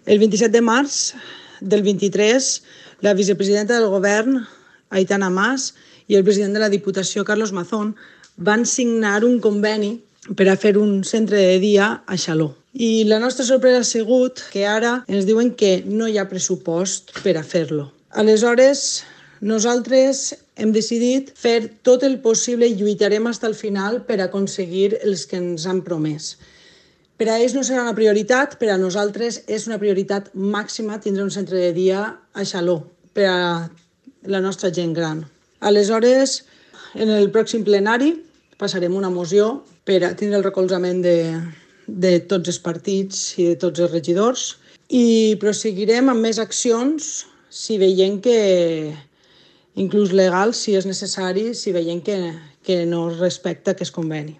El 27 de març del 23, la vicepresidenta del govern, Aitana Mas, i el president de la Diputació, Carlos Mazón, van signar un conveni per a fer un centre de dia a Xaló. I la nostra sorpresa ha sigut que ara ens diuen que no hi ha pressupost per a fer-lo. Aleshores, nosaltres hem decidit fer tot el possible i lluitarem fins al final per aconseguir els que ens han promès. Per a ells no serà una prioritat, per a nosaltres és una prioritat màxima tindre un centre de dia a Xaló per a la nostra gent gran. Aleshores, en el pròxim plenari passarem una moció per a tindre el recolzament de tots els partits i de tots els regidors i proseguirem amb més accions si veiem que, inclús legals, si és necessari, si veiem que no es respecta aquest conveni.